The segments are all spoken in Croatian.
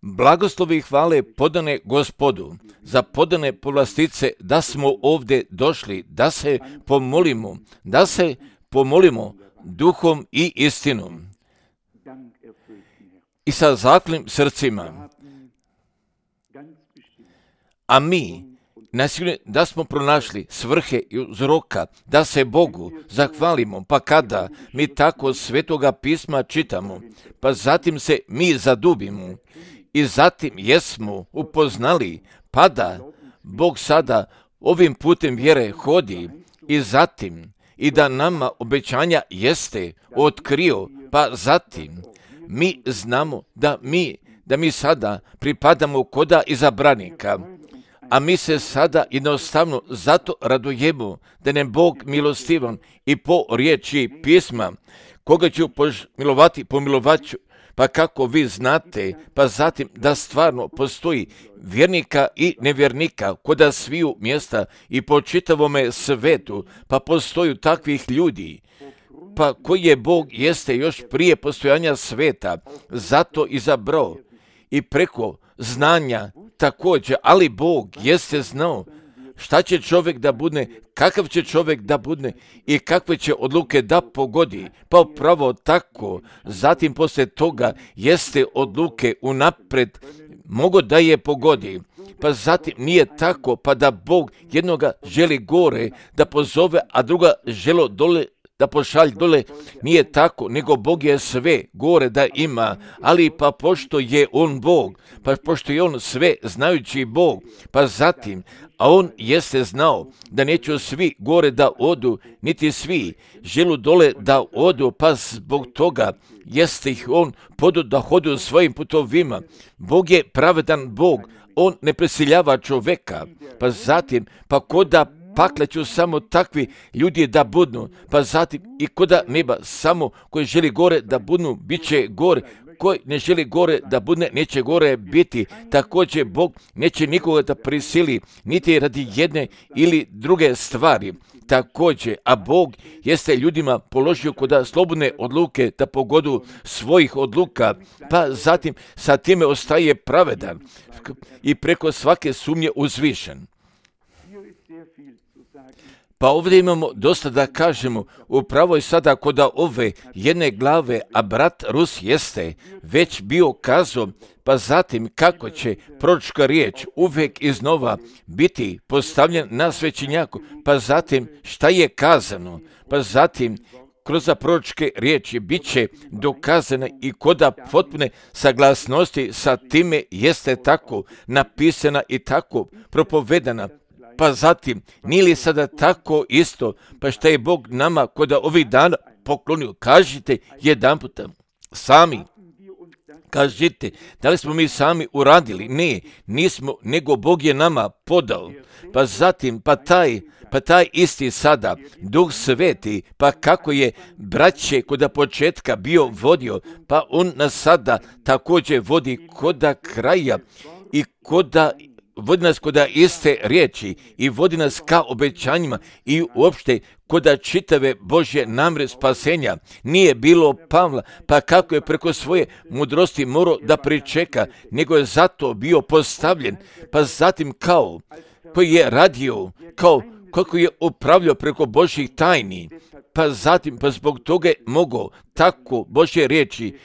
Blagoslovi i hvale podane Gospodu, za podane povlastice da smo ovdje došli, da se pomolimo duhom i istinom i sa zaklim srcima. A mi, nasigurno da smo pronašli svrhe i uzroka da se Bogu zahvalimo, pa kada mi tako Svetoga pisma čitamo, pa zatim se mi zadubimo i zatim jesmo upoznali, pa da Bog sada ovim putem vjere hodi i zatim i da nama obećanja jeste otkrio, pa zatim mi znamo da mi sada pripadamo koda izabranika, a mi se sada jednostavno zato radujemo da nam Bog milostivan i po riječi pisma, koga ću pomilovat ću, pa kako vi znate, pa zatim da stvarno postoji vjernika i nevjernika koda sviju mjesta i po čitavome svetu, pa postoju takvih ljudi, pa koji je Bog jeste još prije postojanja sveta, zato izabrao i preko znanja također, ali Bog jeste znao šta će čovjek da bude, kakav će čovjek da bude i kakve će odluke da pogodi, pa upravo tako, zatim poslije toga jeste odluke unapred mogo da je pogodi, pa zatim nije tako, pa da Bog jednoga želi gore da pozove, a druga želo dole da pošalj dole, nije tako, nego Bog je sve gore da ima, ali pa pošto je On Bog, pa pošto je On sve znajući Bog, pa zatim, a On jeste znao da neće svi gore da odu, niti svi želu dole da odu, pa zbog toga jeste ih On podu da hodu svojim putovima. Bog je pravedan Bog, On ne prisiljava čoveka, pa zatim, pa koda pakle ću samo takvi ljudi da budnu, pa zatim i koda neba samo koji želi gore da budnu, bit će gore, koji ne želi gore da budne, neće gore biti. Također Bog neće nikoga da prisili, niti radi jedne ili druge stvari. Također, a Bog jeste ljudima položio koda slobodne odluke da pogodu svojih odluka, pa zatim sa time ostaje pravedan i preko svake sumnje uzvišen. Pa ovdje imamo dosta da kažemo, upravo je sada koda ove jedne glave, a brat Rus jeste već bio kazao, pa zatim kako će proročka riječ uvijek iznova biti postavljen na svećenjaku, pa zatim šta je kazano, pa zatim kroz proročke riječi bit će dokazana i koda potpune saglasnosti sa time jeste tako napisana i tako propovedana. Pa zatim, nije li sada tako isto, pa šta je Bog nama koda ovih dana poklonio? Kažite jedanputa sami. Kažite, da li smo mi sami uradili? Ne, nismo, nego Bog je nama podao. Pa zatim, pa taj isti sada, Duh Sveti, pa kako je braće koda početka bio vodio, pa On nas sada također vodi koda kraja i vodi nas koda iste riječi i vodi nas ka obećanjima i uopšte koda čitave Božje namjere spasenja. Nije bilo Pavla, pa kako je preko svoje mudrosti morao da pričeka, nego je zato bio postavljen, pa zatim kao koji je radio, kao kako je upravljao preko Božjih tajni, pa zatim pa zbog toga je mogao tako Božje riječi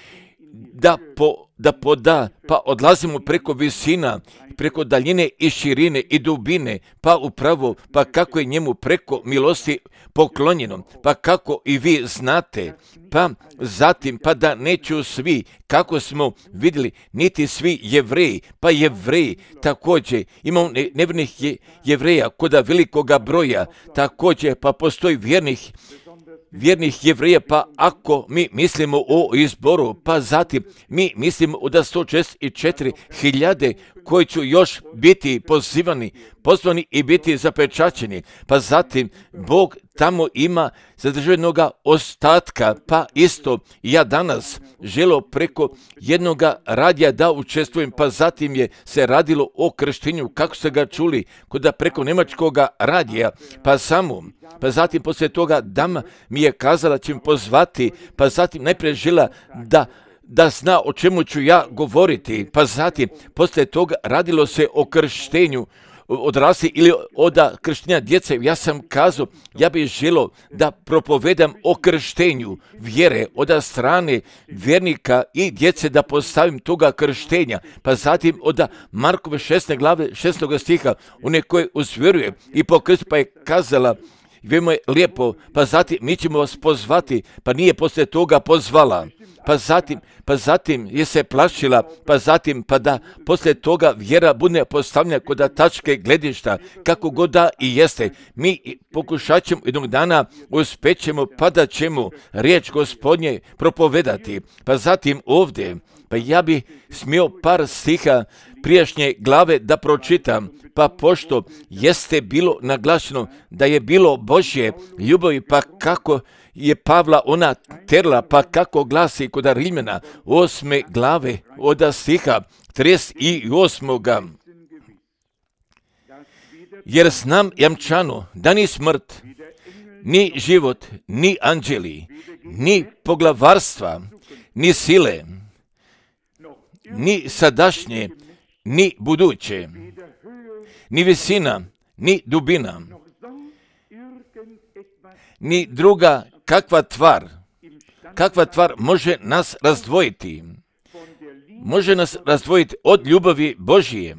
da poda, pa odlazimo preko visina, preko daljine i širine i dubine, pa upravo, pa kako je njemu preko milosti poklonjeno, pa kako i vi znate, pa zatim, pa da neću svi, kako smo vidjeli, niti svi Jevreji, pa Jevreji također, imamo nevjernih Jevreja koda velikoga broja, također, pa postoji vjernih Jevreja, pa ako mi mislimo o izboru, pa zatim mi mislimo da 164.000 koji će još biti pozvani i biti zapečaćeni, pa zatim Bog tamo ima zadržanoga ostatka, pa isto ja danas želo preko jednoga radija da učestvujem, pa zatim je se radilo o krštenju, kako ste ga čuli, koda preko njemačkoga radija, pa zatim poslije toga dama mi je kazala će mi pozvati, pa zatim najprije žela da zna o čemu ću ja govoriti, pa zatim poslije toga radilo se o krštenju odrasli ili od krštenja djece. Ja sam kazao, ja bih želio da propovedam o krštenju vjere od strane vjernika i djece, da postavim toga krštenja. Pa zatim od Markove 16. glave 6. stiha, one koje uzvjeruje i pokrsti, pa je kazala, veoma je lijepo, pa zatim mi ćemo vas pozvati, pa nije poslije toga pozvala. Pa zatim je se plašila, pa da poslije toga vjera bude postavljena kod tačke gledišta, kako god da i jeste. Mi pokušat ćemo jednog dana, uspjećemo, pa da ćemo riječ Gospodnje propovedati. Pa zatim ovdje, pa ja bi smio par stiha prijašnje glave da pročitam, pa pošto jeste bilo naglašeno da je bilo Božje ljubavi, pa kako je Pavla ona terla, pa kako glasi kod Rimljana 8. glave od stiha 38. Jer znam jamčano da ni smrt, ni život, ni anđeli, ni poglavarstva, ni sile, ni sadašnje, ni buduće, ni visina, ni dubina, ni druga kakva tvar može nas razdvojiti. Može nas razdvojiti od ljubavi Božije,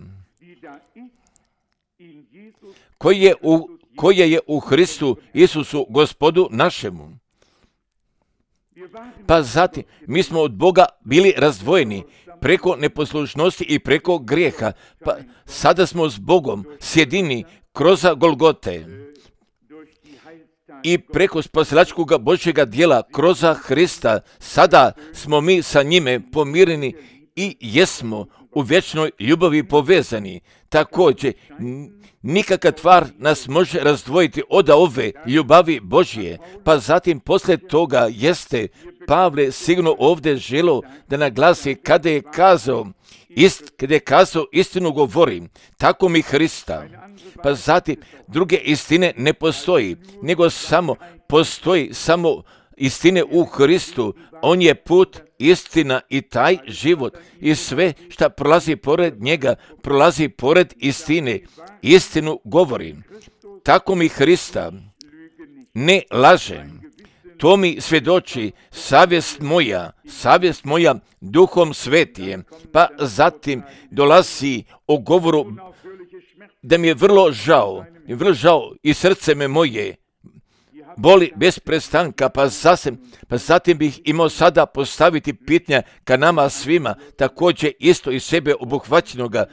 koja je u Hristu Isusu Gospodu našemu. Pa zatim, mi smo od Boga bili razdvojeni preko neposlušnosti i preko grijeha. Pa sada smo s Bogom sjedini kroz Golgote i preko spasilačkog Božjega djela kroz Hrista. Sada smo mi sa njime pomireni i jesmo u vječnoj ljubavi povezani. Također, nikakva tvar nas može razdvojiti od ove ljubavi Božje. Pa zatim poslije toga jeste Pavle sigurno ovdje želio da naglasi kada je kazao istinu govorim, tako mi Hrista. Pa zatim druge istine ne postoji, nego postoji samo istine u Hristu. On je put, istina i taj život. I sve što prolazi pored njega, prolazi pored istine. Istinu govorim. Tako mi Hrista, ne lažem. To mi svjedoči savjest moja Duhom Svetijem. Pa zatim dolazi o govoru da mi je vrlo žao i srce me moje boli bez prestanka, pa zatim bih imao sada postaviti pitanja ka nama svima, također isto i sebe obuhvaćenoga,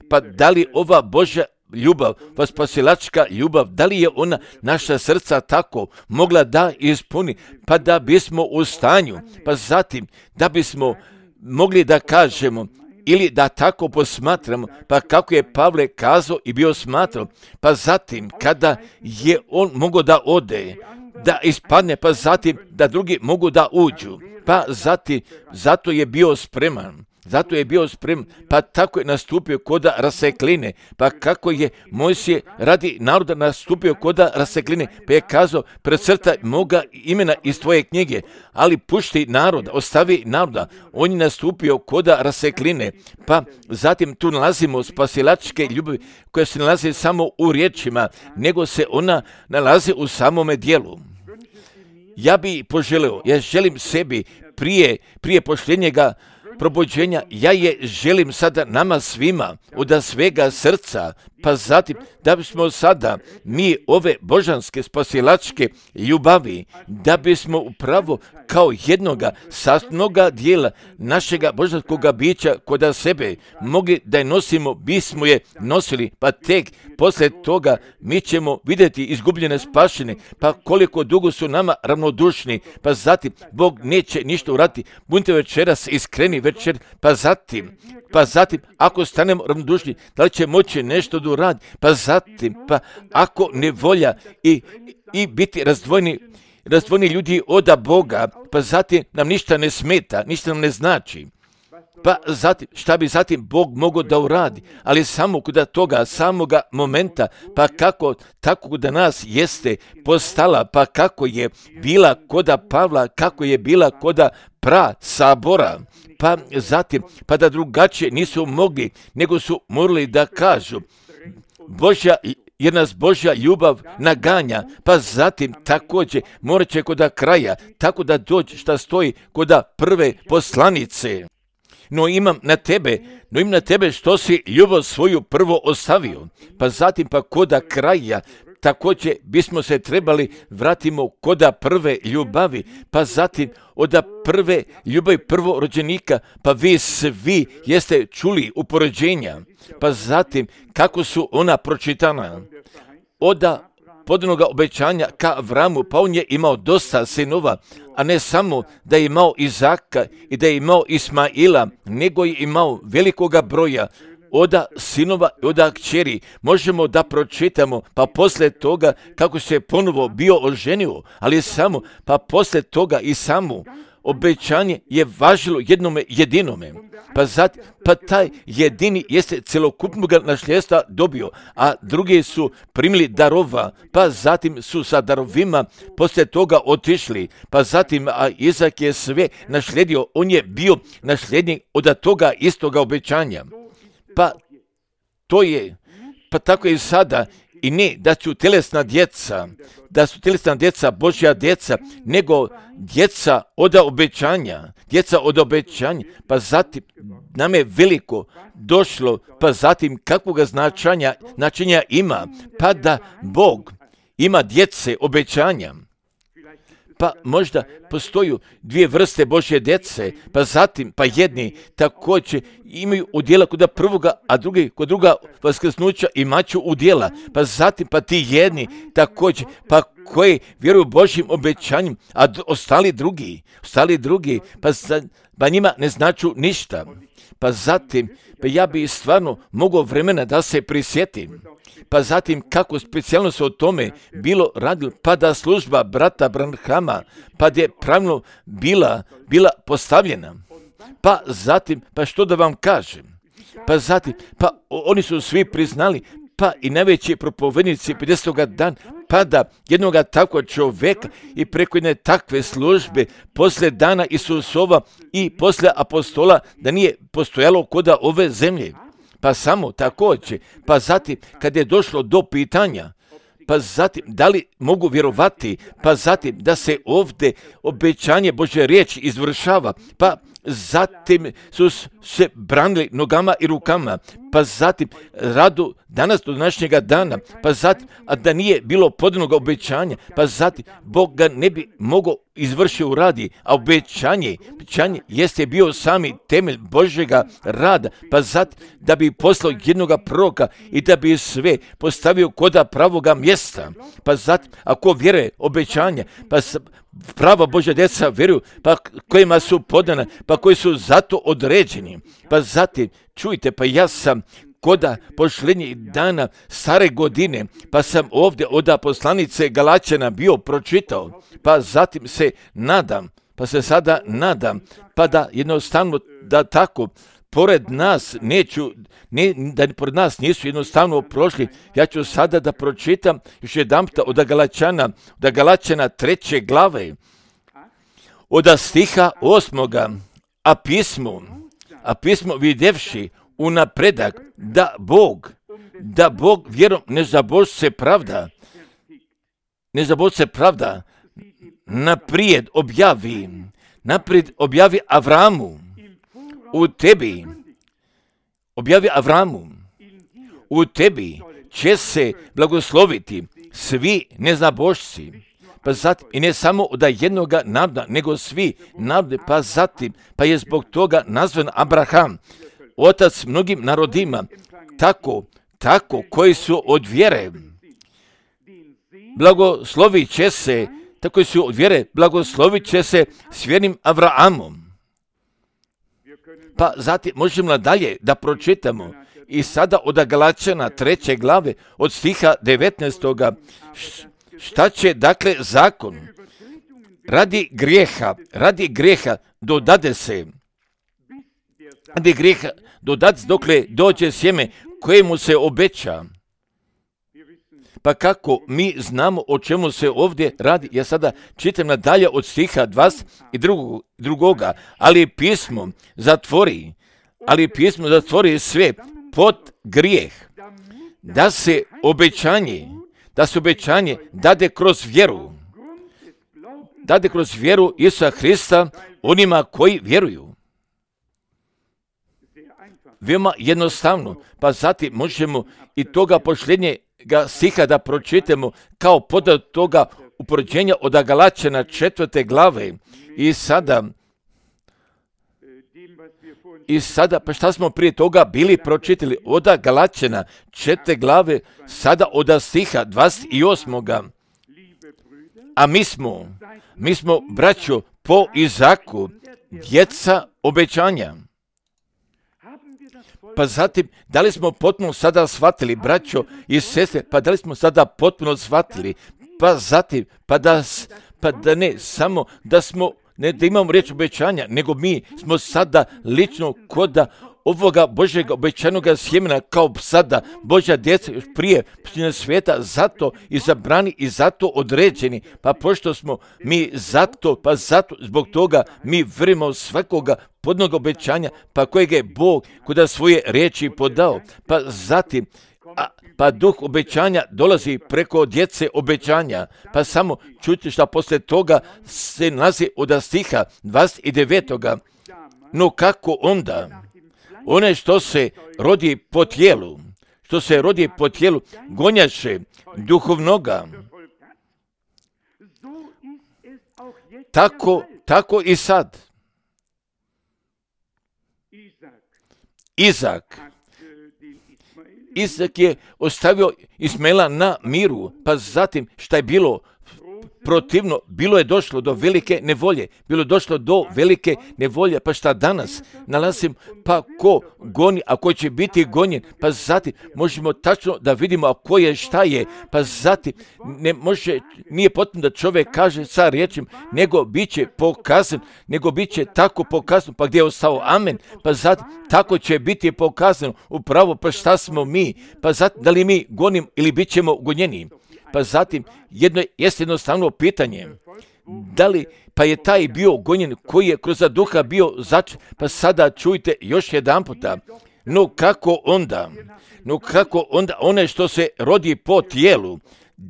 pa da li ova Božja ljubav, spasilačka ljubav, da li je ona naša srca tako mogla da ispuni, pa da bismo u stanju, pa zatim da bismo mogli da kažemo ili da tako posmatramo, pa kako je Pavle kazao i bio smatrao, pa zatim kada je on mogao da ode, da ispadne, pa zatim da drugi mogu da uđu, pa zatim zato je bio spreman, pa tako je nastupio kod rasekline, pa kako je Mojsije radi naroda nastupio kod rasekline, pa je kazao, precrtaj moga imena iz tvoje knjige, ali pušti naroda, ostavi naroda. On je nastupio kod rasekline, pa zatim tu nalazimo spasilačke ljubavi koja se nalazi samo u riječima, nego se ona nalazi u samome djelu. Ja želim sebi prije pošljenjega probuđenja, ja je želim sada nama svima od svega srca, pa zatim da bismo sada mi ove božanske spasilačke ljubavi, da bismo upravo kao jednoga sastavnoga dijela našega božanskog bića kod sebe mogli da je nosimo, bismo je nosili, pa tek poslije toga mi ćemo vidjeti izgubljene spašene, pa koliko dugo su nama ravnodušni, pa zatim Bog neće ništa uraditi, budite večeras iskreni večer, pa zatim ako stanemo ravnodušni, da li će moći nešto da uradi, pa zatim, pa ako ne volja i biti razdvojeni ljudi od Boga, pa zatim nam ništa ne smeta, ništa nam ne znači. Pa zatim, šta bi zatim Bog mogao da uradi, ali samo kod toga samoga momenta, pa kako tako da nas jeste postala, pa kako je bila kod Pavla, kako je bila kod sabora, pa zatim, pa da drugačije nisu mogli, nego su morali da kažu, jer nas Božja ljubav naganja, pa zatim također morat će kod kraja, tako da dođe šta stoji kod prve poslanice. No imam na tebe što si ljubav svoju prvo ostavio, pa zatim pa kod kraja, također bismo se trebali vratimo kod prve ljubavi, pa zatim od prve ljubavi prvorođenika, pa vi svi jeste čuli upoređenja, pa zatim kako su ona pročitana. Od podanoga obećanja ka Avramu, pa on je imao dosta sinova, a ne samo da je imao Izaka i da je imao Ismaila, nego je imao velikoga broja od sinova i od kćeri. Možemo da pročitamo, pa poslije toga kako se ponovo bio oženio, ali samo, pa poslije toga i samo obećanje je važilo jednome jedinome. Pa taj jedini jeste celokupnog nasljedstva dobio, a drugi su primili darova, pa zatim su sa darovima poslije toga otišli, pa zatim a Izak je sve naslijedio, on je bio nasljednik od toga istoga obećanja. Pa to je, pa tako je i sada, i ne da su tjelesna djeca Božja djeca, nego djeca od obećanja, pa zatim nam je veliko došlo, pa zatim kakvoga značenja ima, pa da Bog ima djece obećanja. Pa možda postoju dvije vrste Božje djece, pa zatim, pa jedni također imaju udjela kod prvoga, a drugi kod druga vaskrsnuća imaću udjela, pa zatim, pa ti jedni također, pa koji vjeruju Božjim obećanjem, a ostali drugi, pa njima ne značu ništa. Pa zatim, pa ja bi stvarno mogao vremena da se prisjetim. Pa zatim kako specijalno se o tome bilo radilo, pa da služba brata Branhama, pa je pravilno bila postavljena. Pa zatim, pa što da vam kažem, pa zatim, pa oni su svi priznali, pa i najveći propovednici 50. dana, pa da jednoga takvog čovjeka i preko jedne takve službe poslije dana Isusova i poslije apostola da nije postojalo kod ove zemlje. Pa samo također, pa zatim kad je došlo do pitanja, pa zatim da li mogu vjerovati, pa zatim da se ovdje obećanje Božje riječi izvršava, pa zatim su se branili nogama i rukama, pa zatim radu danas do današnjega dana, pa zatim, a da nije bilo podanog obećanja, pa zatim Bog ga ne bi mogao izvršiti u radi, a obećanje jeste bio sami temelj Božjega rada, pa zatim da bi poslao jednoga proroka i da bi sve postavio kod pravoga mjesta, pa zatim ako vjeruje obećanja, pa prava Božja djeca vjeruju, pa kojima su podana, pa koji su zato određeni, pa zatim čujte, pa ja sam kod posljednjih dana stare godine, pa sam ovdje od poslanice Galačana bio pročitao, pa zatim se nadam, pa se sada nadam, pa da jednostavno da tako pored nas da pored nas nisu jednostavno prošli. Ja ću sada da pročitam još jedanputa od Galačana 3. glave, od stiha 8. A pismo vidjevši unapredak da Bog vjerom ne zabož se pravda, naprijed objavi Avramu u tebi će se blagosloviti svi neznabošci, pa zatim i ne samo od jednoga naroda, nego svi narode, pa zatim, pa je zbog toga nazvan Abraham, otac mnogim narodima, tako koji su od vjere, blagoslovit će se s vjernim Avraamom. Pa zatim možemo dalje da pročitamo i sada od Galačana 3. glave od stiha 19. Šta će dakle zakon? Radi grijeha dodade se dokle dođe sjeme kojemu se obeća. Pa kako mi znamo o čemu se ovdje radi? Ja sada čitam nadalje od stiha 22. Ali pismo zatvori sve pod grijeh, da se obećanje dade kroz vjeru Isusa Hrista onima koji vjeruju. Veoma jednostavno, pa zatim možemo i toga posljednjega stiha da pročitamo kao podad toga upoređenja od Galačana 4. glave. I sada, pa šta smo prije toga bili pročitali? Od Galačana 4. glave, sada od stiha 28. A mi smo, braćo, po Izaku, djeca obećanja. Pa zatim, da li smo potpuno sada shvatili, braćo i sestre, pa da li smo sada potpuno shvatili, pa zatim, pa da ne samo da smo, ne da imamo riječ obećanja, nego mi smo sada lično koda ovoga Božjeg obećanog sjemena kao sada Božja djeca još prije svijeta, zato izabrani i zato određeni. Pa pošto smo mi zato zbog toga mi vjerujemo svakoga podnog obećanja, pa kojeg je Bog kuda svoje riječi podao. Pa zatim, pa duh obećanja dolazi preko djece obećanja. Pa samo čujte šta poslije toga se nalazi od stiha 29. No kako onda? One što se rodi po tijelu, gonjaše duhovnoga. Tako i sad. Izak je ostavio Ismaela na miru, pa zatim šta je bilo protivno, bilo je došlo do velike nevolje, pa šta danas nalazim, pa ko goni, a ko će biti gonjen, pa zatim možemo tačno da vidimo a ko je šta je, pa zatim nije potrebno da čovjek kaže sa riječima, nego bit će tako pokazano, pa gdje je ostao amen, pa zatim tako će biti pokazano upravo pa šta smo mi, pa zatim da li mi gonim ili bit ćemo gonjeni. Pa zatim, jeste jednostavno pitanje, da li, pa je taj bio gonjen koji je kroz duha bio začet, pa sada čujte još jedan puta, no kako onda one što se rodi po tijelu,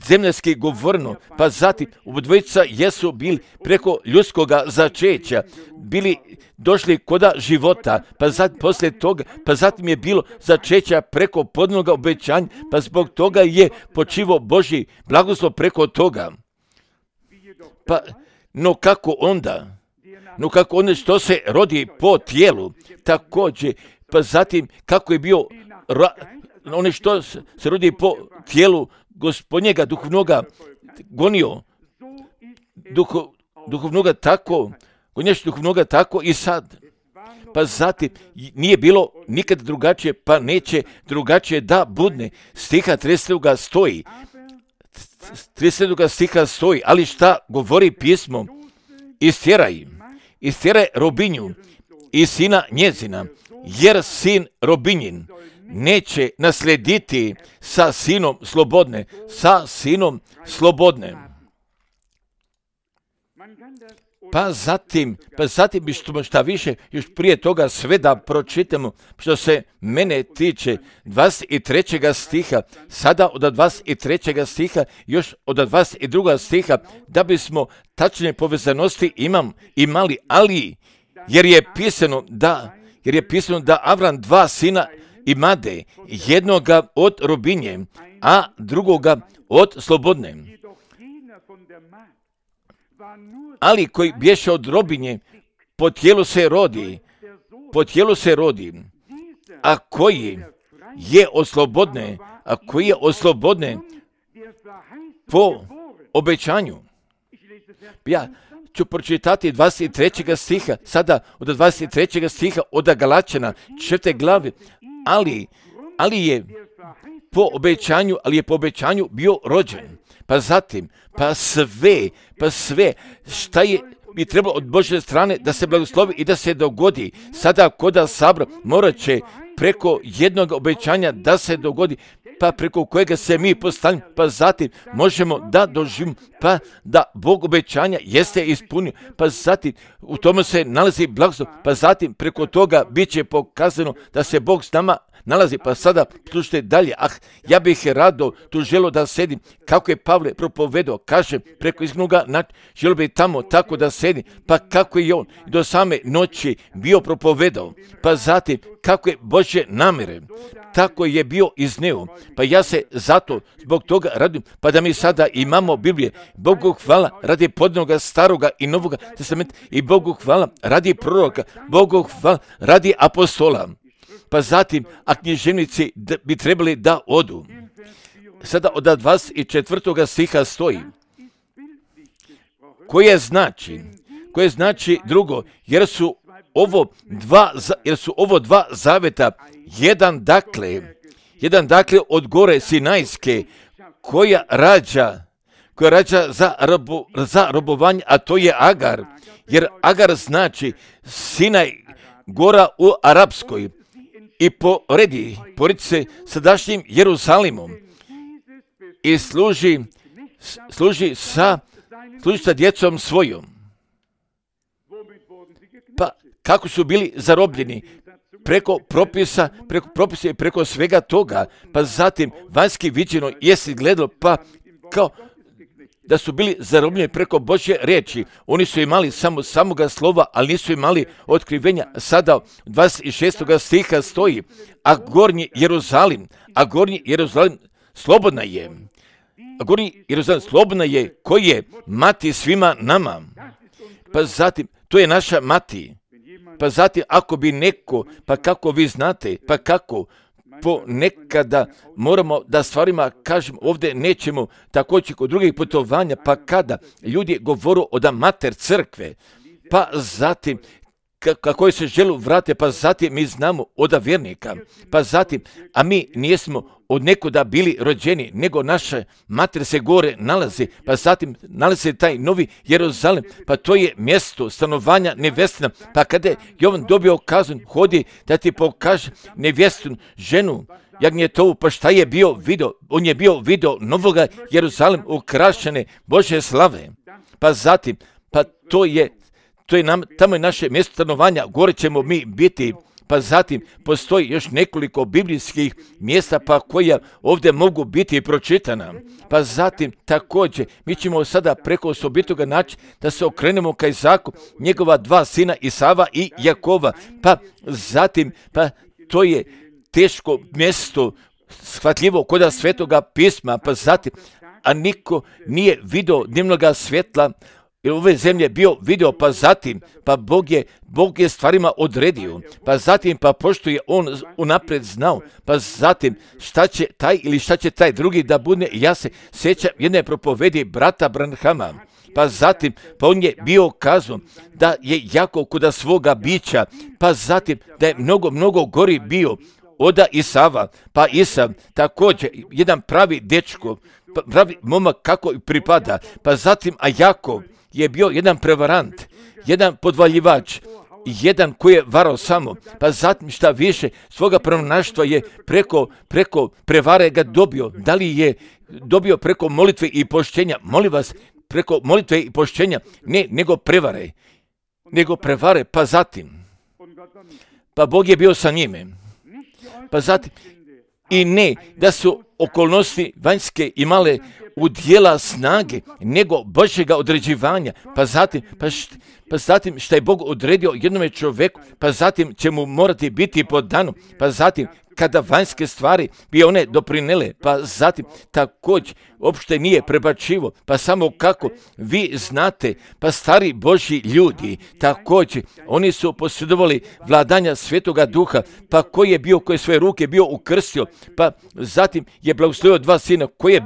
zemljski govorno, pa zatim obodvojica jesu bili preko ljudskoga začeća, bili došli koda života, pa zatim poslije toga, pa zatim je bilo začeća preko podnoga obećanja, pa zbog toga je počivo Božji blagoslov preko toga. Pa, no kako onda što se rodi po tijelu, također, pa zatim kako je bio one što se rodi po tijelu Gospodnjega duhovnoga gonio, duhovnoga tako, gonjaš duhovnoga tako i sad. Pa zatim nije bilo nikad drugačije, pa neće drugačije da budne. Stiha 30. stiha stoji, ali šta govori pismo? Istjeraj robinju i sina njezina, jer sin robinjin neće naslediti sa sinom slobodne. Pa zatim šta više, još prije toga sve da pročitamo, što se mene tiče 23. stiha, sada od 23. stiha, još od 22. stiha, da bismo tačne povezanosti imali, ali jer je pisano da Avram 2 sina imade, jednoga od robinje, a drugoga od slobodne. Ali koji bješe od robinje, po tijelu se rodi, a koji je od slobodne, po obećanju. Ja ću pročitati 23. stiha, sada od 23. stiha od Galačana 4. glave, ali je po obećanju bio rođen. Pa zatim, pa sve šta je bi trebalo od Božje strane da se blagoslovi i da se dogodi. Sada koda sabra morat će preko jednog obećanja da se dogodi pa preko kojega se mi postavljamo, pa zatim možemo da doživimo, pa da Bog obećanja jeste ispunio, pa zatim u tome se nalazi blagoslov, pa zatim preko toga bit će pokazano da se Bog s nama nalazi. Pa sada slušajte dalje. Ja bih rado tu želio da sedim, kako je Pavle propovedao, kaže preko izgnuga, želio bih tamo tako da sedim, pa kako je on do same noći bio propovedao, pa zatim kako je Božje namjere, tako je bio izneo. Pa ja se zato zbog toga radim, pa da mi sada imamo Biblije. Bogu hvala radi podnoga staroga i novoga testamenta, i Bogu hvala radi proroka, Bogu hvala radi apostola. Pa zatim, a književnici bi trebali da odu. Sada od 24. stiha stoji, koje znači drugo, jer su ovo dva zaveta, jedan dakle od gore Sinajske, koja rađa za robovanje, a to je Agar, jer Agar znači Sinaj, gora u arapskoj, i poredi se sadašnjim Jerusalimom i služi sa djecom svojom. Pa kako su bili zarobljeni? Preko propisa i preko svega toga. Pa zatim vanjski viđeno jesi gledalo, pa kao da su bili zarobljeni preko Božje riječi. Oni su imali samoga slova, ali nisu imali otkrivenja. Sada 26. stiha stoji, a gornji Jeruzalim slobodna je, koji je mati svima nama. Pa zatim, to je naša mati. Pa zatim, ako bi neko, pa kako vi znate, pa kako ponekada moramo da stvarima kažem, ovdje nećemo također kod drugih putovanja, pa kada ljudi govoru od mater crkve, pa zatim kako se želu vrate, pa zatim mi znamo od vjernika, pa zatim, a mi nijesmo od nekuda bili rođeni, nego naša mater se gore nalazi, pa zatim nalazi taj novi Jeruzalim, pa to je mjesto stanovanja nevjestina. Pa kada je Jovan dobio kaznu, hodi da ti pokaže nevjestinu ženu jagnjetovu, pa šta je bio video? On je bio video novoga Jeruzalim ukrašene Božje slave. Pa zatim, pa tamo je naše mjesto stanovanja, gore ćemo mi biti. Pa zatim postoji još nekoliko biblijskih mjesta pa koja ovdje mogu biti pročitana. Pa zatim također mi ćemo sada preko osobitoga načina da se okrenemo ka Izaku, njegova dva sina Isava i Jakova. Pa zatim, pa to je teško mjesto shvatljivo kod Svetoga pisma. Pa zatim, a niko nije vidio dnevnoga svjetla jer ove zemlje bio video, pa zatim, pa Bog je stvarima odredio, pa zatim, pa pošto je on unaprijed znao, pa zatim, šta će taj drugi da bude. Ja se sjećam jedne propovedi brata Branhama, pa zatim, pa on je bio kazao da je jako kuda svoga bića, pa zatim, da je mnogo gori bio od Isava, pa Isav također, jedan pravi dečko, pravi momak kako pripada, pa zatim, a Jakov je bio jedan prevarant, jedan podvaljivač, jedan koji je varao samo, pa zatim šta više svoga pronaštva je preko prevare ga dobio. Da li je dobio preko molitve i poštenja? Molim vas, preko molitve i poštenja, ne, nego prevare, pa zatim, pa Bog je bio sa njime, pa zatim, i ne da su okolnosti vanjske imale udjela snage, nego Božjega određivanja, pa zatim šta je Bog odredio jednome čovjeku, pa zatim će mu morati biti podano, pa zatim kada vanjske stvari bi one doprinele, pa zatim također uopšte nije prebačivo, pa samo kako vi znate, pa stari Božji ljudi također, oni su posjedovali vladanja Svetoga Duha, pa koji je svoje ruke bio ukrstio, pa zatim je blagoslovio dva sina, koje je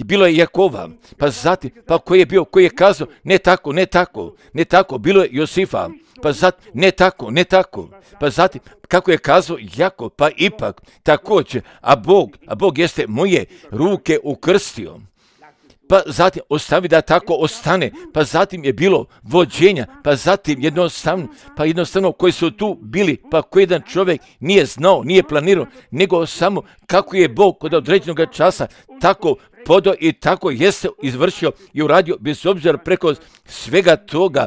bilo je Jakova, pa zatim, pa koji je kazao, ne tako, bilo je Josifa, pa zatim, ne tako, pa zatim, kako je kazao Jakov, pa ipak također, a Bog jeste moje ruke ukrstio. pa zatim ostavi da tako ostane, pa zatim je bilo vođenja, pa zatim jednostavno koji su tu bili, pa koji jedan čovjek nije znao, nije planirao, nego samo kako je Bog kod određenog časa tako podao i tako jeste izvršio i uradio bez obzira preko svega toga,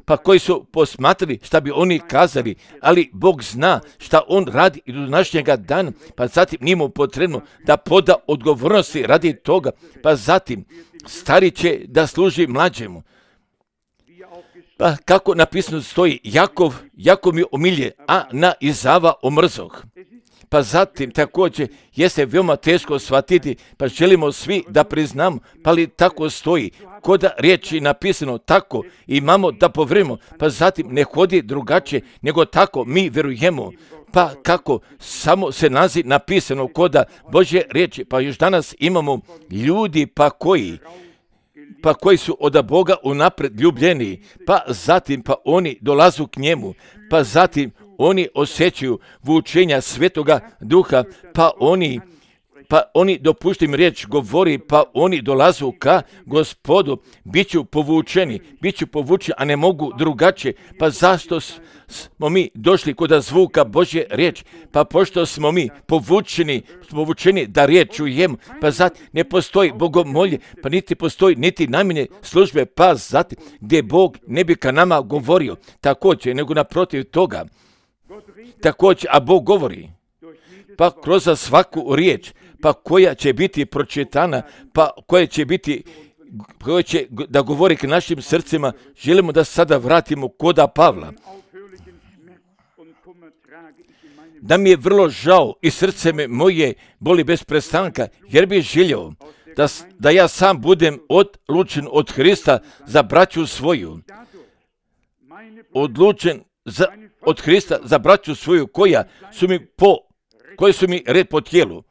pa koji su posmatrali šta bi oni kazali, ali Bog zna šta on radi i do današnjega dana, pa zatim nije mu potrebno da poda odgovornosti radi toga, pa zatim stari će da služi mlađemu. Pa kako napisano stoji, Jakov mi omilje, a na Izava omrzoh. Pa zatim također jeste veoma teško shvatiti, pa želimo svi da priznamo, pa li tako stoji, kod riječi napisano tako, imamo da povrimo, pa zatim ne hodi drugačije, nego tako mi verujemo, pa kako samo se nalazi napisano kod Božje riječi, pa još danas imamo ljudi pa koji su od Boga unaprijed ljubljeni, pa zatim pa oni dolazu k njemu, pa zatim oni osjećaju vučenja Svetoga Duha, pa oni dopuštim riječ govori, pa oni dolazu ka Gospodu, bit ću povučeni, a ne mogu drugačije. Pa zašto smo mi došli kod zvuka Božje riječ? Pa pošto smo mi povučeni da riječ čujemo, pa zatim ne postoji bogomolje, pa niti postoji niti najmanje službe, pa zatim gdje Bog ne bi ka nama govorio također, nego naprotiv toga. Također, a Bog govori, pa kroz svaku riječ, pa koja će biti pročitana, pa koja će da govori k našim srcima, želimo da sada vratimo koda Pavla. Da mi je vrlo žao i srce me moje boli bez prestanka, jer bih želio da ja sam budem odlučen od Hrista za braću svoju. Odlučen od Hrista za braću svoju koji su mi red po tijelu.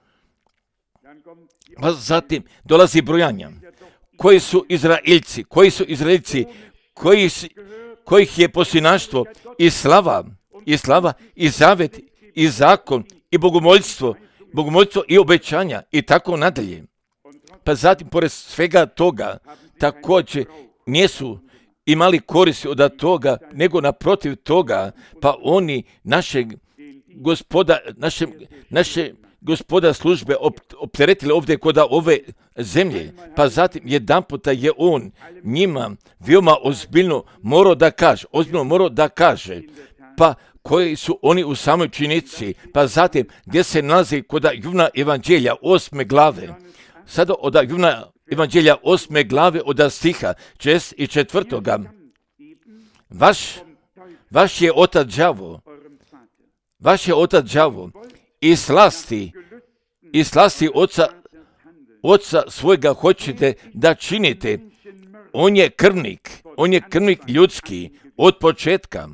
Pa zatim dolazi brojanja. Koji su Izraeljci, kojih je posljednaštvo i slava, i zavet, i zakon, i bogomoljstvo i obećanja i tako nadalje. Pa zatim, pored svega toga, također nisu imali koristi od toga, nego naprotiv toga, pa oni naše gospoda službe opteretili ovdje kod ove zemlje, pa zatim jedanputa je on njima veoma ozbiljno morao da kaže, pa koji su oni u samoj činjenici, pa zatim gdje se nalazi kod Jovana Evanđelja 8. glave, sada od Jovana Evanđelja 8. glave od stiha 4. Vaš je otac đavo, i slasti oca svojega hoćete da činite. On je krvnik ljudski od početka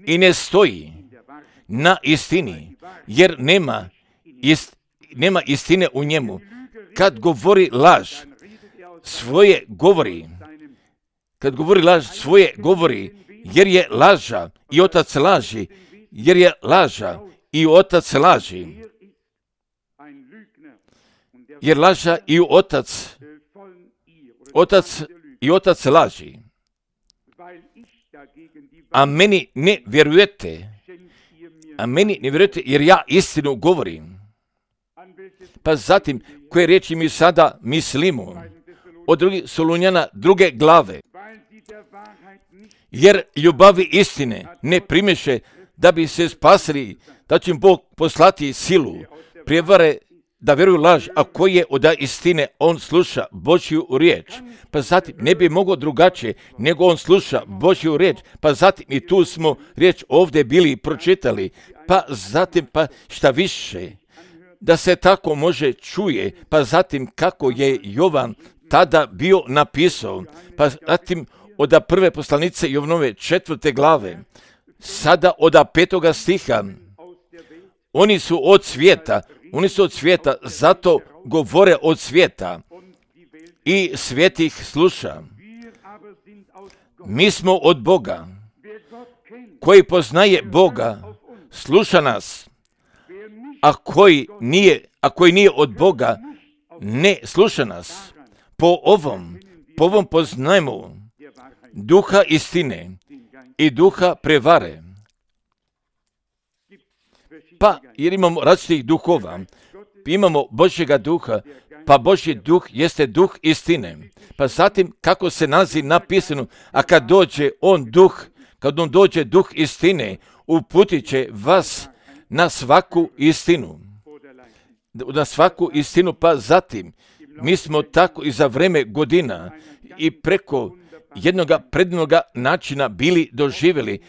i ne stoji na istini, jer nema istine u njemu. Kad govori laž, svoje govori, jer je laža i otac laži, jer laža i otac laži. A meni ne vjerujete, jer ja istinu govorim. Pa zatim, koje riječi mi sada mislimo? Od 2. Solunjana 2. glave. Jer ljubavi istine ne primeše da bi se spasili, da će im Bog poslati silu, prijevare da vjeruju laž, a koji je od istine, on sluša Božju riječ. Pa zatim ne bi mogao drugačije, nego on sluša Božju riječ. Pa zatim i tu smo riječ ovdje bili pročitali. Pa zatim pa šta više, da se tako može čuje, pa zatim kako je Jovan tada bio napisao, pa zatim od prve poslanice Jovanove 4. glave, sada od 5. stiha, oni su od svijeta, zato govore od svijeta i svijet ih sluša. Mi smo od Boga, koji poznaje Boga, sluša nas, a koji nije od Boga, ne sluša nas. Po ovom poznajemo duha istine i duha prevare. Pa, jer imamo različitih duhova, imamo Božjega duha, pa Božji duh jeste duh istine. Pa zatim, kako se nalazi napisano, a kad on dođe duh istine, uputit će vas na svaku istinu. Na svaku istinu, pa zatim, mi smo tako i za vreme godina i preko jednoga predivnoga načina bili doživjeli,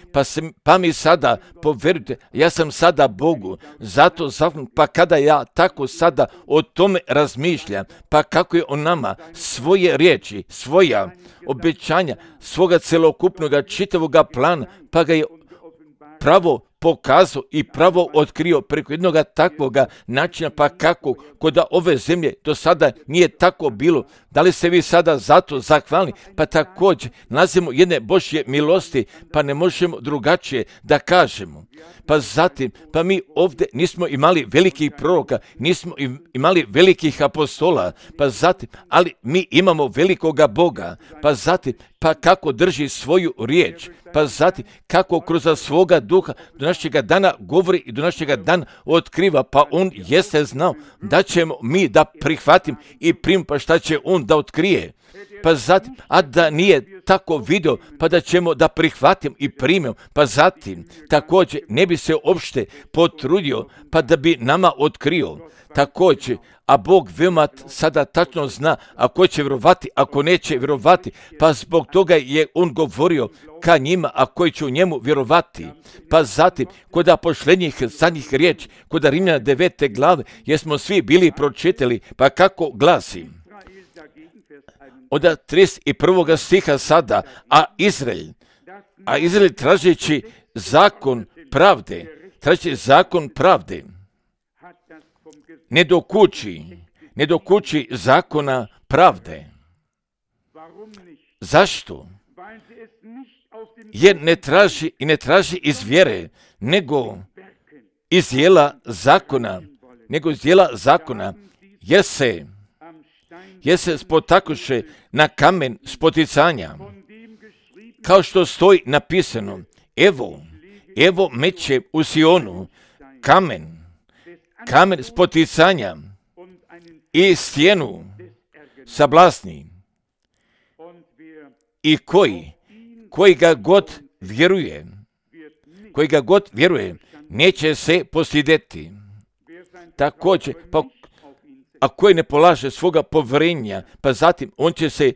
pa mi sada, povjerujte, ja sam sada Bogu, zato pa kada ja tako sada o tome razmišljam, pa kako je on nama svoje riječi, svoja obećanja, svoga celokupnoga čitavoga plana, pa ga je pravo pokazao i pravo otkrio preko jednoga takvoga načina, pa kako kod ove zemlje do sada nije tako bilo. Da li se vi sada zato zahvalni? Pa također nalazimo jedne Božje milosti, pa ne možemo drugačije da kažemo. Pa zatim, pa mi ovdje nismo imali velikih proroka, nismo imali velikih apostola, pa zatim, ali mi imamo velikoga Boga, pa zatim, pa kako drži svoju riječ, pa zatim, kako kroz svoga duha do našega dana govori i do našega dana otkriva, pa on jeste znao da ćemo mi da prihvatim i primimo, pa šta će on da otkrije. Pa zatim, a da nije tako video, pa da ćemo da prihvatim i primimo, pa zatim, također ne bi se uopšte potrudio, pa da bi nama otkrio. Također, a Bog veoma sada tačno zna ako će vjerovati, ako neće vjerovati, pa zbog toga je on govorio ka njima, a koji će u njemu vjerovati. Pa zatim, kod posljednjih zadnjih riječi, kod Rimljana 9. glave, jesmo svi bili pročitali, pa kako glasi? Od 31. stiha sada, a Izrael tražeći zakon pravde, ne dokući zakona pravde. Zašto? Jer ne traži iz vjere, nego iz dijela zakona, jer se spotakuše na kamen spoticanja, kao što stoji napisano, evo meće u Sionu kamen spoticanja i stijenu sablasni, i koji ga god vjeruje, neće se postideti. Također, pa a koji ne polaže svoga povjerenja, pa zatim on će se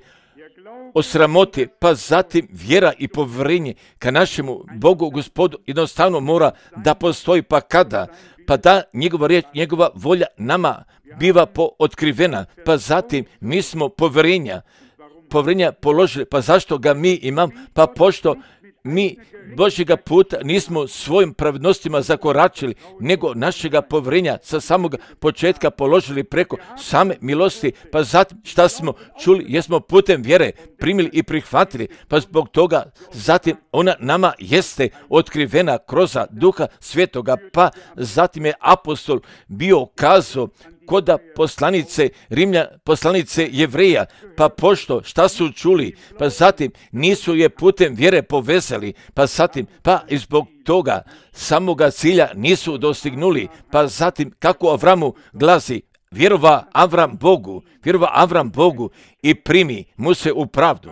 osramoti, pa zatim vjera i povjerenje ka našemu Bogu, Gospodu, jednostavno mora da postoji, pa kada? Pa da njegova riječ, njegova volja nama biva otkrivena, pa zatim mi smo povjerenja položili, pa zašto ga mi imamo? Pa pošto mi Božjega puta nismo svojim pravednostima zakoračili, nego našega povjerenja sa samog početka položili preko same milosti, pa zatim šta smo čuli, jesmo putem vjere primili i prihvatili, pa zbog toga zatim ona nama jeste otkrivena kroz Duha Svetoga, pa zatim je apostol bio kazao koda poslanice Jevreja, pa pošto šta su čuli, pa zatim nisu je putem vjere povezali, pa zatim, pa i zbog toga samoga cilja nisu dostignuli, pa zatim kako Avramu glasi, vjerova Avram Bogu i primi mu se u pravdu.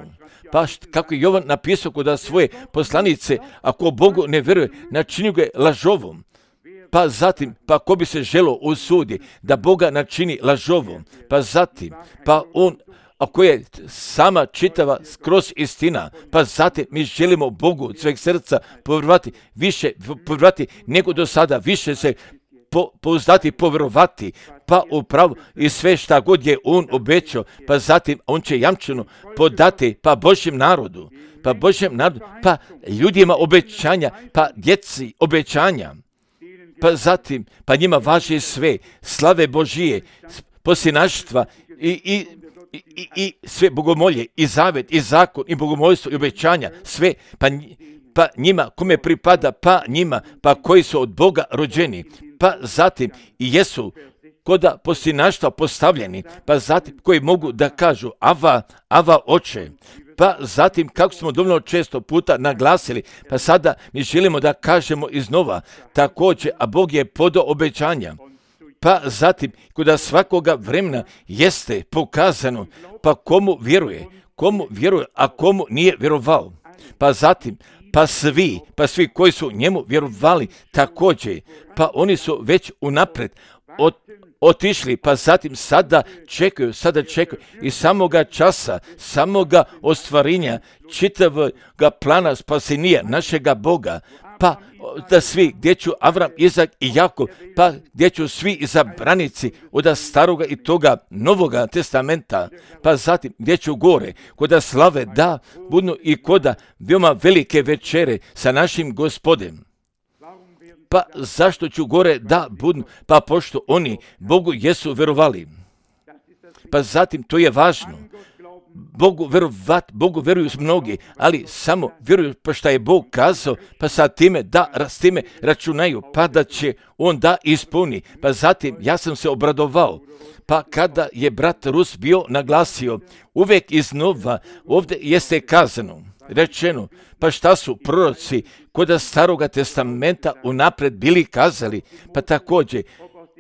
Pa kako je Jovan napisao kod svoje poslanice, ako Bogu ne vjeruje, načini ga lažovom. Pa zatim, pa ko bi se želo usudi da Boga načini lažovom, pa zatim, pa on, ako je sama čitava skroz istina, pa zatim mi želimo Bogu od sveg srca povjerovati nego do sada, više se pouzdati, povjerovati, pa upravo i sve šta god je on obećao, pa zatim on će jamčeno podati, pa Božjem narodu, pa ljudima obećanja, pa djeci obećanja. Pa zatim, pa njima važi sve, slave Božije, posljednaštva i sve bogomolje, i zavet, i zakon, i bogomolstvo, i obećanja, sve, pa njima, kome pripada, pa njima, pa koji su od Boga rođeni, pa zatim i jesu koda posljednaštva postavljeni, pa zatim koji mogu da kažu Ava oče, pa zatim kako smo dovoljno često puta naglasili, pa sada mi želimo da kažemo iznova, također, a Bog je podao obećanja. Pa zatim, kuda svakoga vremena jeste pokazano, pa komu vjeruje, a komu nije vjerovao. Pa zatim, pa svi koji su njemu vjerovali također, pa oni su već unaprijed otišli, pa zatim sada čekaju i samoga časa, samoga ostvarenja čitavoga plana spasenja našega Boga, pa da svi gdje ću Avram, Izak i Jakov, pa gdje ću svi izabranici od staroga i toga novoga testamenta, pa zatim gdje ću gore, koda slave da budu i koda veoma velike večere sa našim Gospodem. Pa zašto ću gore da budu? Pa pošto oni Bogu jesu vjerovali. Pa zatim to je važno. Bogu vjeruju mnogi, ali samo vjeruju pa šta je Bog kazao, pa sa time s time računaju, pa da će on da ispuni. Pa zatim ja sam se obradovao, pa kada je brat Rus bio naglasio, uvijek iznova ovdje jeste kazano, rečeno, pa šta su proroci kod staroga testamenta unaprijed bili kazali, pa također,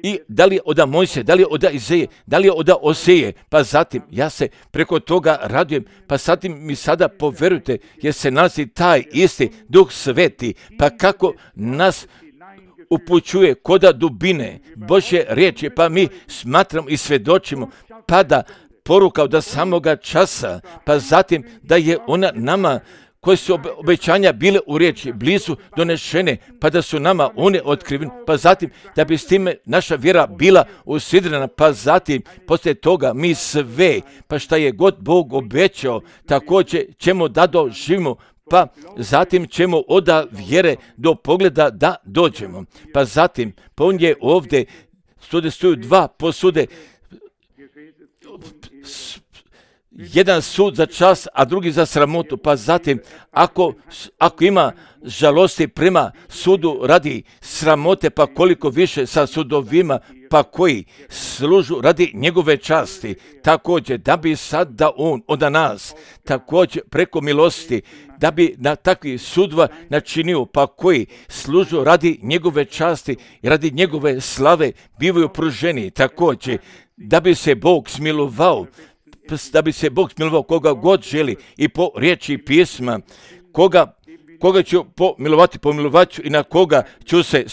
i da li je od Mojsija, da li je od Izaije, da li je od Oseje, pa zatim ja se preko toga radujem, pa zatim mi sada poverujte, jer se nalazi taj isti Duh Sveti, pa kako nas upućuje koda dubine Božje riječi, pa mi smatramo i svjedočimo, pa da poruka od samoga časa, pa zatim da je ona nama, koje su obećanja bile u riječi blizu donešene, pa da su nama one otkrivene, pa zatim da bi s time naša vjera bila usidrena, pa zatim poslije toga mi sve, pa šta je god Bog obećao, također ćemo da doživimo, pa zatim ćemo od vjere do pogleda da dođemo. Pa zatim, pa on je ovdje, stoju dva posude, jedan sud za čast, a drugi za sramotu. Pa zatim, ako ima žalosti prema sudu radi sramote, pa koliko više sa sudovima, pa koji služu radi njegove časti. Također, da bi sad da on od nas, također preko milosti, da bi na takvih sudova načinio, pa koji služu radi njegove časti i radi njegove slave, bivaju pruženi. Također, da bi se Bog smilovao, koga god želi i po riječi pisma, koga ću pomilovat ću i na koga ću se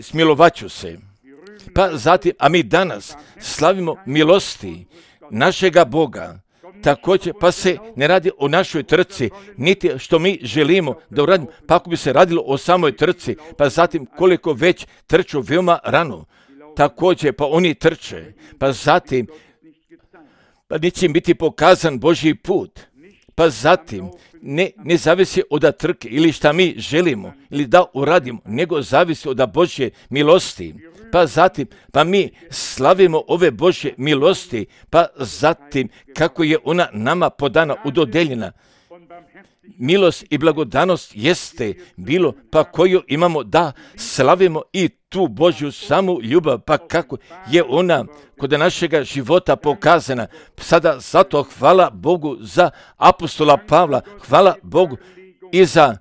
smilovat ću se. Pa zatim, a mi danas slavimo milosti našega Boga. Također, pa se ne radi o našoj trci, niti što mi želimo da uradimo, pa ako bi se radilo o samoj trci, pa zatim koliko već trču veoma rano. Također, pa oni trče, pa zatim, pa neće im biti pokazan Božji put. Pa zatim, ne zavisi od trke ili šta mi želimo ili da uradimo, nego zavisi od Božje milosti. Pa zatim, pa mi slavimo ove Božje milosti, pa zatim kako je ona nama podana, udodeljena. Milost i blagodanost jeste bilo, pa koju imamo da slavimo i tu Božju samu ljubav, pa kako je ona kod našega života pokazana. Sada zato hvala Bogu za apostola Pavla, hvala Bogu i za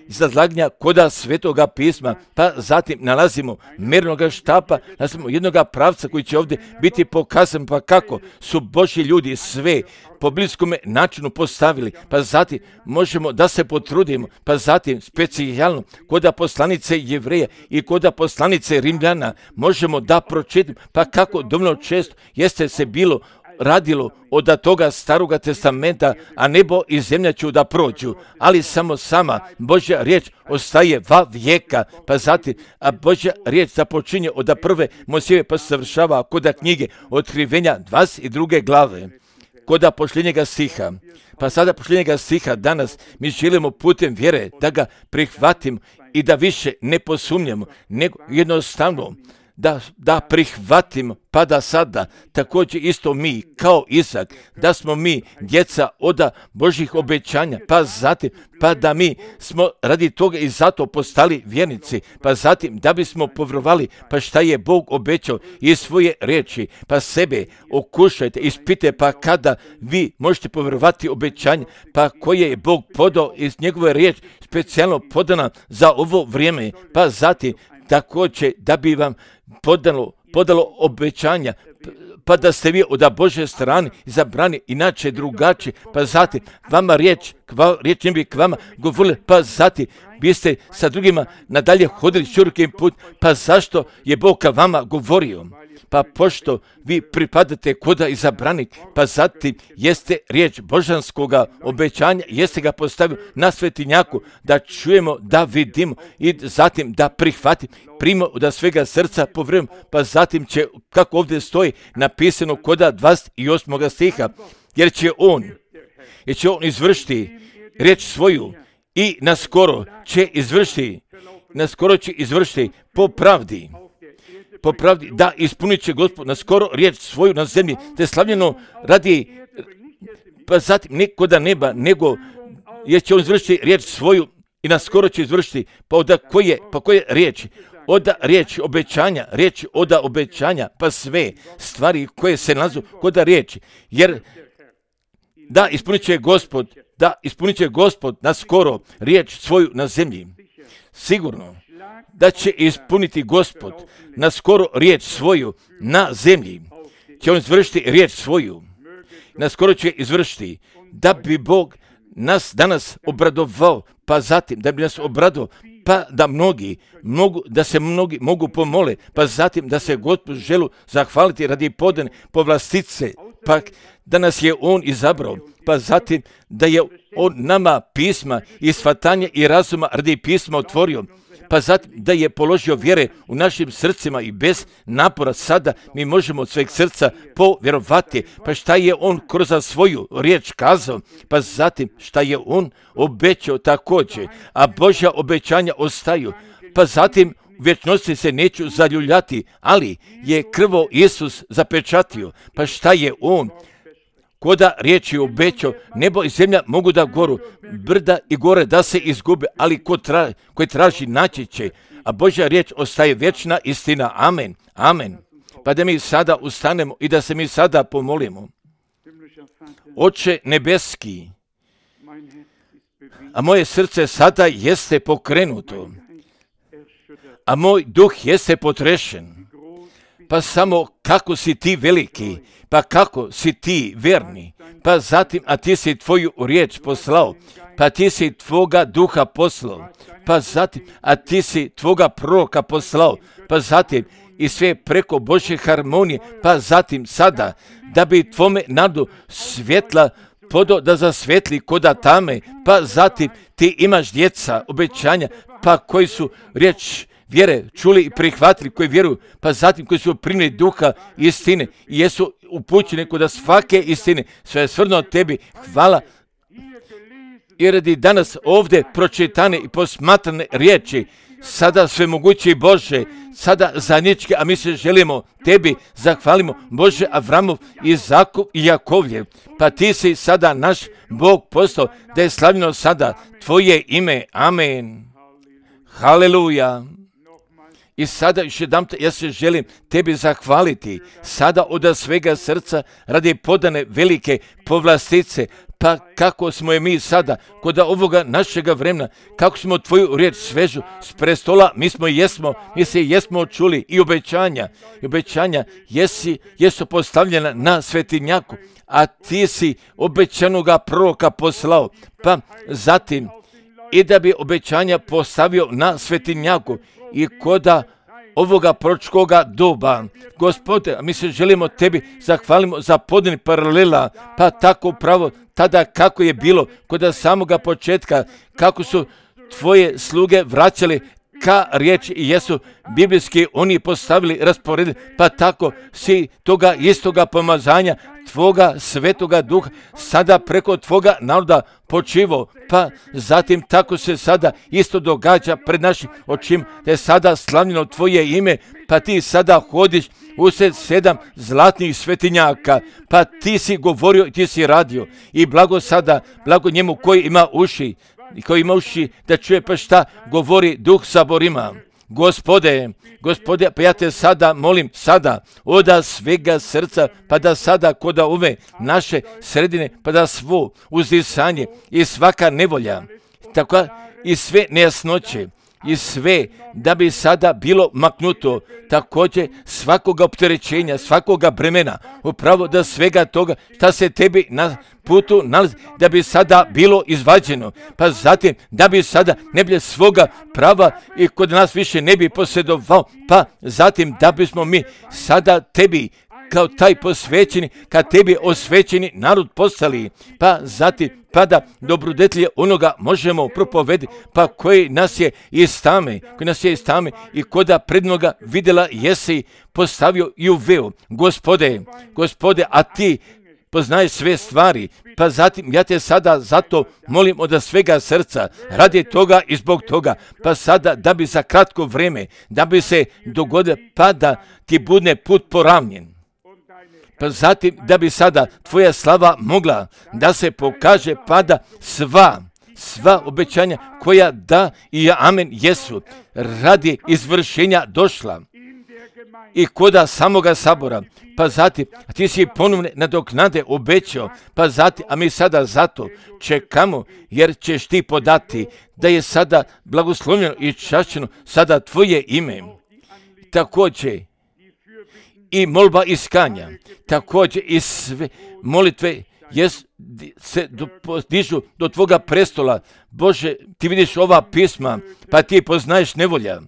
izlaganja koda Svetoga pisma, pa zatim nalazimo mernoga štapa, nalazimo jednoga pravca koji će ovdje biti pokazan, pa kako su Božji ljudi sve po bliskom načinu postavili, pa zatim možemo da se potrudimo, pa zatim specijalno koda poslanice Jevreja i koda poslanice Rimljana možemo da pročitamo, pa kako dovoljno često jeste se bilo radilo od toga staroga testamenta, a nebo i zemlja ću da prođu, ali samo sama Božja riječ ostaje va vijeka, pa zatim, a Božja riječ započinje od prve Mojsijeve pa se završava koda knjige Otkrivenja 22. glave, koda posljednjega stiha. Pa sada posljednjega stiha danas mi želimo putem vjere da ga prihvatimo i da više ne posumnjamo, nego jednostavno da prihvatimo, pa da sada također isto mi, kao Isak, da smo mi djeca od Božjih obećanja, pa zatim, pa da mi smo radi toga i zato postali vjernici, pa zatim da bismo povjerovali, pa šta je Bog obećao iz svoje riječi, pa sebe okušajte, ispite, pa kada vi možete povjerovati obećanje, pa koje je Bog podao iz njegove riječi, specijalno podana za ovo vrijeme, pa zatim također da bi vam podalo obećanja, pa da ste vi od Božje strane izabrani inače drugačije, pa zatim vama riječ ne bi k vama govorili, pa zatim biste sa drugima nadalje hodili širokim put, pa zašto je Bog ka vama govorio? Pa pošto vi pripadate koda izabranik, pa zatim jeste riječ božanskoga obećanja, jeste ga postavio na svetinjaku, da čujemo, da vidimo i zatim da primimo da svega srca povjerujemo, pa zatim će, kako ovdje stoji napisano koda 28. stiha, jer će on izvršiti riječ svoju i naskoro će izvršiti po pravdi, da ispunit će Gospod na skoro riječ svoju na zemlji, te slavljeno radi, pa zatim nikoda neba, nego jer će on izvršiti riječ svoju i na skoro će izvršiti, koje riječi? Riječi obećanja, pa sve stvari koje se nalazu koda riječi, jer da ispunit će Gospod na skoro riječ svoju na zemlji. Sigurno da će ispuniti Gospod na skoro riječ svoju na zemlji. Će on izvršiti riječ svoju. Na skoro će izvršiti da bi Bog nas danas obradovao, pa zatim da bi nas obradovao, pa da se mnogi mogu pomole, pa zatim da se Gospod želu zahvaliti radi podane povlastice, pa da nas je on izabrao, pa zatim da je on nama pisma i shvatanje i razuma radi pisma otvorio, pa zatim da je položio vjere u našim srcima i bez napora sada mi možemo od sveg srca povjerovati, pa šta je on kroz svoju riječ kazao, pa zatim šta je on obećao također, a Božja obećanja ostaju, pa zatim u vječnosti se neću zaljuljati, ali je krvo Isus zapečatio, pa šta je on koda riječi obećao, nebo i zemlja mogu da goru, brda i gore da se izgube, ali koji traži naći će, a Božja riječ ostaje vječna istina. Amen. Amen. Pa da mi sada ustanemo i da se mi sada pomolimo. Oče nebeski, a moje srce sada jeste pokrenuto, a moj duh jeste potrešen, pa samo kako si ti veliki, pa kako si ti verni, pa zatim, a ti si tvoju riječ poslao, pa ti si tvoga duha poslao, pa zatim, a ti si tvoga proroka poslao, pa zatim, i sve preko Božje harmonije, pa zatim sada, da bi tvome nadu svjetla podo da zasvetli koda tame, pa zatim ti imaš djeca obećanja, pa koji su riječ vjere čuli i prihvatili, koji vjeruju, pa zatim koji su primili duha istine i jesu upućeni kod svake istine. Sve je svrno tebi, hvala. I radi danas ovdje pročitane i posmatrane riječi, sada svemogući Bože, sada zajednički, a mi se želimo tebi zahvalimo, Bože Avramov, Izakov i Jakovljev, pa ti si sada naš Bog postao, da je slavljeno sada tvoje ime. Amen. Haleluja. I sada još jedanput ja se želim tebi zahvaliti sada od svega srca radi podane velike povlastice, pa kako smo je mi sada kod ovoga našega vremena, kako smo tvoju riječ svežu s prestola, mi se jesmo čuli i obećanja jesu postavljena na svetinjaku, a ti si obećanoga proroka poslao, pa zatim i da bi obećanja postavio na svetinjaku i koda ovoga proročkoga doba. Gospode, mi se želimo tebi zahvalimo za podani paralela, pa tako pravo tada kako je bilo kod samoga početka, kako su tvoje sluge vraćali ka riječi i jesu biblijski oni postavili raspored, pa tako si toga istoga pomazanja Tvoga svetoga duha sada preko Tvoga naroda počivo, pa zatim tako se sada isto događa pred našim očima, da je sada slavljeno Tvoje ime, pa Ti sada hodiš usred 7 zlatnih svetinjaka, pa Ti si govorio i Ti si radio i blago sada, blago njemu koji ima uši da čuje pa šta govori Duh saborima. Gospode, pa ja te sada molim sada od svega srca, pa da sada kod ove naše sredine, pa da svo uzdisanje i svaka nevolja, tako i sve nejasnoće, i sve da bi sada bilo maknuto, također svakoga opterećenja, svakoga bremena, upravo da svega toga šta se tebi na putu nalazi, da bi sada bilo izvađeno, pa zatim da bi sada ne bi svoga prava i kod nas više ne bi posjedovao, pa zatim da bismo mi sada tebi kao taj posvećeni, kad tebi osvećeni narod postali, pa zatim pa da dobrodetlje onoga možemo propovediti, pa koji nas je iz tame i koda prednoga vidjela jesi postavio i uveo. Gospode, a Ti poznaješ sve stvari, pa zatim ja te sada zato molim od svega srca, radi toga i zbog toga, pa sada da bi za kratko vrijeme, da bi se dogodilo, pa da Ti bude put poravnjen. Pa zatim da bi sada Tvoja slava mogla da se pokaže, pa da sva obećanja koja da i amen jesu radi izvršenja došla i koda samoga sabora, pa zatim Ti si ponovne nadoknade obećao, pa zatim, a mi sada zato čekamo, jer ćeš Ti podati da je sada blagoslovljeno i čašćeno sada Tvoje ime. Također i molba iskanja, također i sve molitve se dižu do Tvoga prestola. Bože, Ti vidiš ova pisma, pa Ti poznaješ nevolja.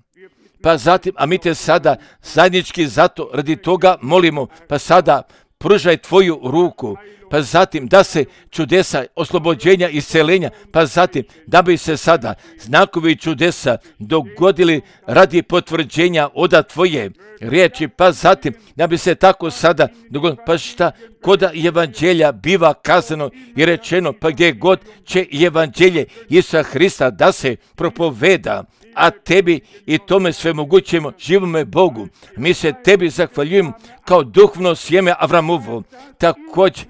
Pa zatim, a mi te sada zajednički zato radi toga molimo, pa sada pružaj Tvoju ruku, pa zatim da se čudesa oslobođenja i isceljenja, pa zatim da bi se sada znakovi čudesa dogodili radi potvrđenja oda Tvoje riječi, pa zatim da bi se tako sada dogodilo, pa šta koda evanđelja biva kazano i rečeno, pa gdje god će evanđelje Isusa Hrista da se propoveda, a Tebi i tome svemogućemo živome Bogu. Mi se Tebi zahvaljujemo kao duhovno sjeme Avramovo, također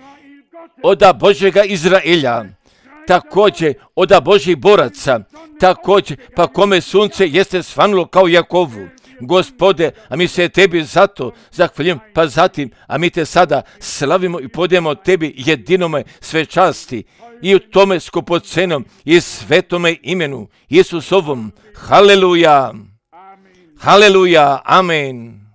oda Božjega Izraelja, također oda Božjih boraca, također pa kome sunce jeste svanulo kao Jakovu. Gospode, a mi se Tebi zato zahvaljujemo, pa zatim, a mi te sada slavimo i podijemo Tebi jedinome sve časti i u tome skupocenom i svetome imenu Isusovom. Haleluja, haleluja, amen.